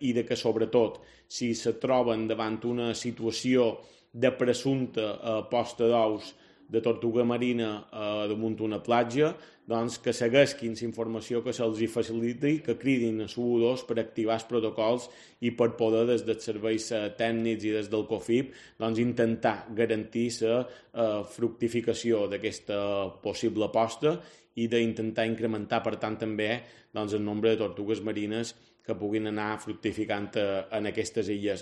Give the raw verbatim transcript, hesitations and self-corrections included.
i de que, sobretot, si se troben davant una situació de presumpta eh, posta d'ous de tortuga marina eh, damunt una platja, doncs que segueixin la informació que se'ls faciliti, que cridin a l'u dos per activar els protocols i per poder, des dels serveis tècnics i des del COFIP, doncs, intentar garantir la eh, fructificació d'aquesta possible posta i d'intentar incrementar, per tant, també doncs, el nombre de tortugues marines que puguin anar fructificant en aquestes illes.